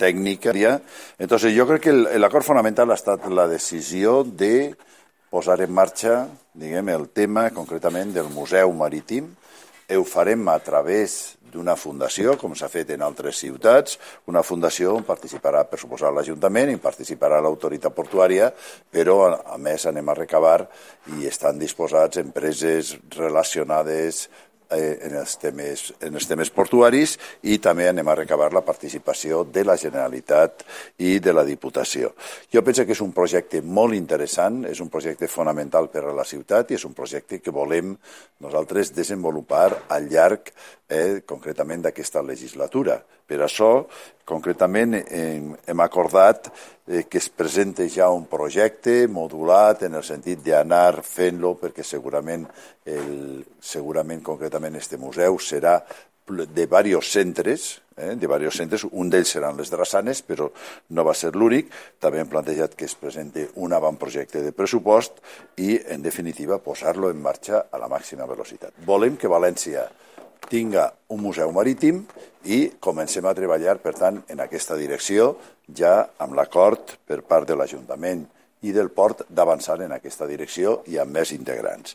tècnica. Entonces, jo crec que l'acord fonamental ha estat la decisió de posar en marxa, diguem, el tema concretament del Museu Marítim. Ho farem a través d'una fundació, com s'ha fet en altres ciutats, una fundació on participarà, per suposar, l'Ajuntament i participarà l'autoritat portuària, però, a més, anem a recabar i estan disposats empreses relacionades en els temes portuaris i també anem a recabar la participació de la Generalitat i de la Diputació. Jo penso que és un projecte molt interessant, és un projecte fonamental per a la ciutat i és un projecte que volem nosaltres desenvolupar al llarg concretament d'aquesta legislatura. Per això, concretament, hem acordat que es presenti ja un projecte modulat en el sentit d'anar fent-lo perquè segurament concretament este museu serà de diversos centres, un d'ells seran les Drassanes, però no va ser l'únic. També hem plantejat que es presenti un avantprojecte de pressupost i, en definitiva, posar-lo en marxa a la màxima velocitat. Volem que València tinga un museu marítim i comencem a treballar, per tant, en aquesta direcció, ja amb l'acord per part de l'Ajuntament i del Port d'avançar en aquesta direcció i amb més integrants.